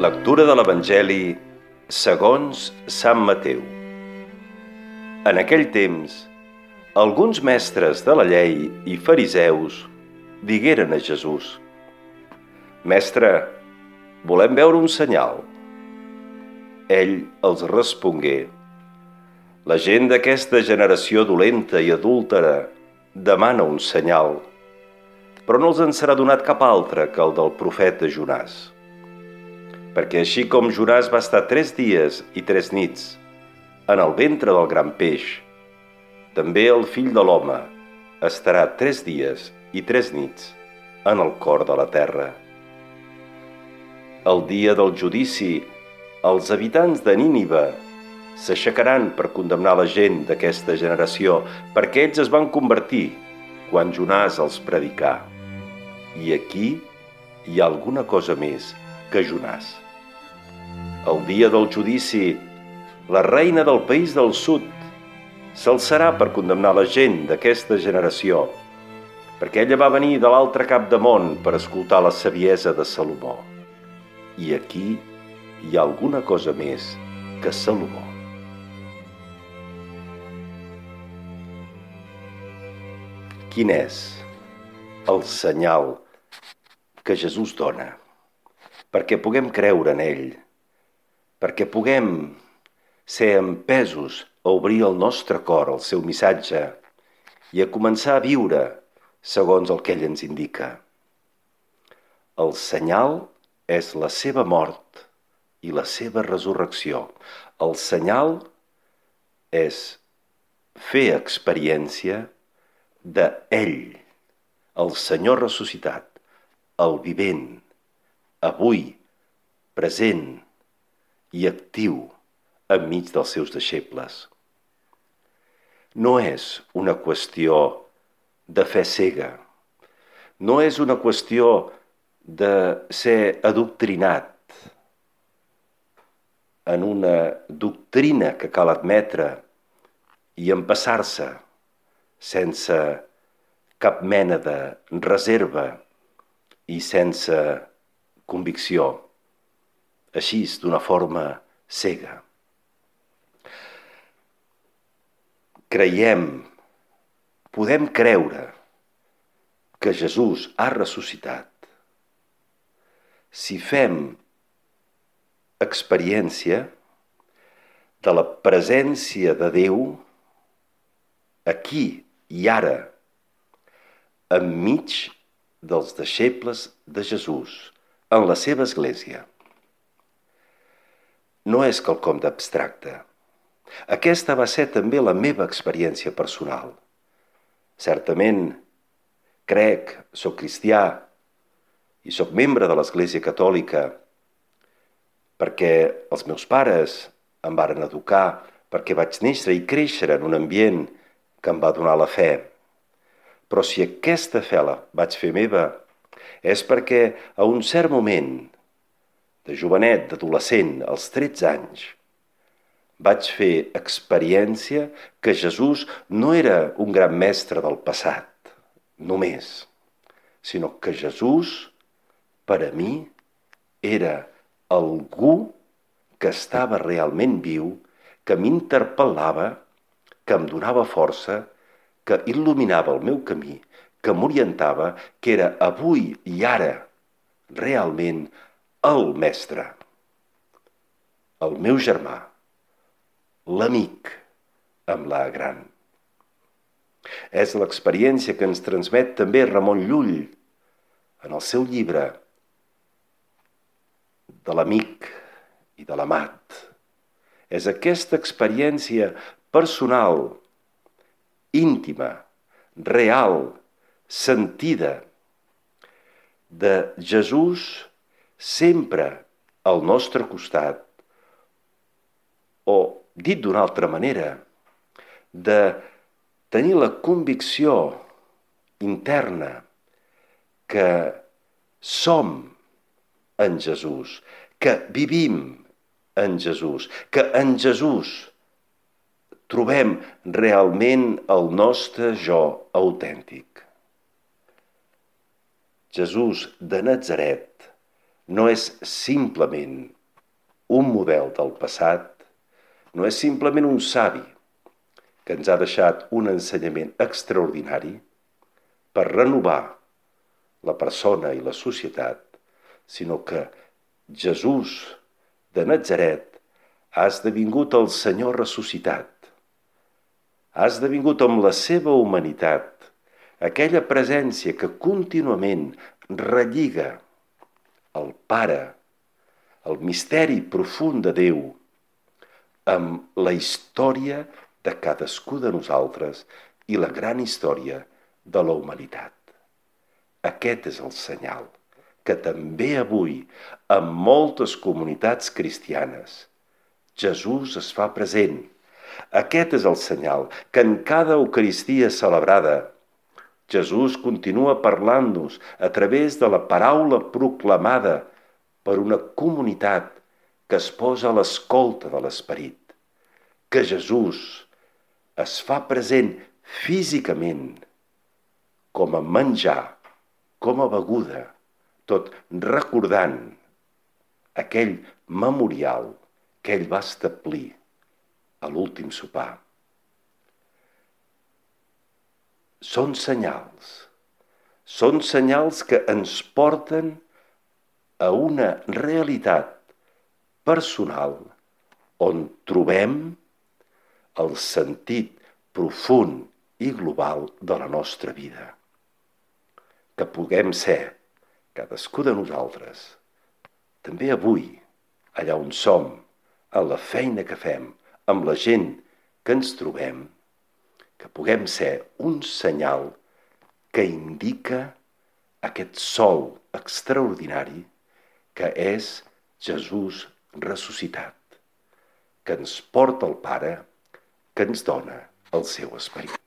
Lectura de l'Evangeli segons Sant Mateu. En aquell temps, alguns mestres de la llei i fariseus digueren a Jesús: «Mestre, volem veure un senyal». Ell els respongué: «La gent d'aquesta generació dolenta i adúltera demana un senyal, però no els en serà donat cap altre que el del profeta Jonàs. Perquè així com Jonàs va estar 3 dies i 3 nits en el ventre del gran peix, també el Fill de l'Home estarà 3 dies i 3 nits en el cor de la terra. El dia del judici, els habitants de Nínive s'aixecaran per condemnar la gent d'aquesta generació, perquè ells es van convertir quan Jonàs els predicà. I aquí hi ha alguna cosa més que Jonàs. El dia del judici, la reina del país del sud s'alçarà per condemnar la gent d'aquesta generació, perquè ella va venir de l'altre cap de món per escoltar la saviesa de Salomó. I aquí hi ha alguna cosa més que Salomó. Quin és el senyal que Jesús dona perquè puguem creure en ell, perquè puguem ser empesos a obrir el nostre cor al seu missatge i a començar a viure segons el que ell ens indica? El senyal és la seva mort i la seva resurrecció. El senyal és fer experiència d'ell, el Senyor ressuscitat, el vivent, avui, present i actiu enmig dels seus deixebles. No és una qüestió de fe cega, no és una qüestió de ser adoctrinat en una doctrina que cal admetre i empassar-se sense cap mena de reserva i sense convicció, així d'una forma cega. Podem creure que Jesús ha ressuscitat si fem experiència de la presència de Déu aquí i ara, enmig dels deixebles de Jesús, en la seva església. No és quelcom d'abstracte. Aquesta va ser també la meva experiència personal. Certament, soc cristià i soc membre de l'Església Catòlica perquè els meus pares em varen educar, perquè vaig néixer i créixer en un ambient que em va donar la fe. Però si aquesta fe la vaig fer meva, és perquè a un cert moment, de jovenet, d'adolescent, als 13 anys, vaig fer experiència que Jesús no era un gran mestre del passat, només, sinó que Jesús, per a mi, era algú que estava realment viu, que m'interpel·lava, que em donava força, que il·luminava el meu camí, que m'orientava, que era avui i ara realment el mestre, el meu germà, l'amic amb la gran. És l'experiència que ens transmet també Ramon Llull en el seu llibre de l'amic i de l'amat. És aquesta experiència personal, íntima, real, sentida, de Jesús sempre al nostre costat, o, dit d'una altra manera, de tenir la convicció interna que som en Jesús, que vivim en Jesús, que en Jesús trobem realment el nostre jo autèntic. Jesús de Natzaret no és simplement un model del passat, no és simplement un savi que ens ha deixat un ensenyament extraordinari per renovar la persona i la societat, sinó que Jesús de Natzaret ha esdevingut el Senyor ressuscitat. Ha esdevingut amb la seva humanitat aquella presència que contínuament relliga el Pare, el misteri profund de Déu, amb la història de cadascú de nosaltres i la gran història de la humanitat. Aquest és el senyal que també avui, en moltes comunitats cristianes, Jesús es fa present. Aquest és el senyal que en cada Eucaristia celebrada Jesús continua parlant-nos a través de la paraula proclamada per una comunitat que es posa a l'escolta de l'Esperit. Que Jesús es fa present físicament, com a menjar, com a beguda, tot recordant aquell memorial que ell va establir a l'últim sopar. Són senyals que ens porten a una realitat personal on trobem el sentit profund i global de la nostra vida. Que puguem ser, cadascú de nosaltres, també avui, allà on som, en la feina que fem, amb la gent que ens trobem, que puguem ser un senyal que indica aquest sol extraordinari que és Jesús ressuscitat, que ens porta el Pare, que ens dona el seu esperit.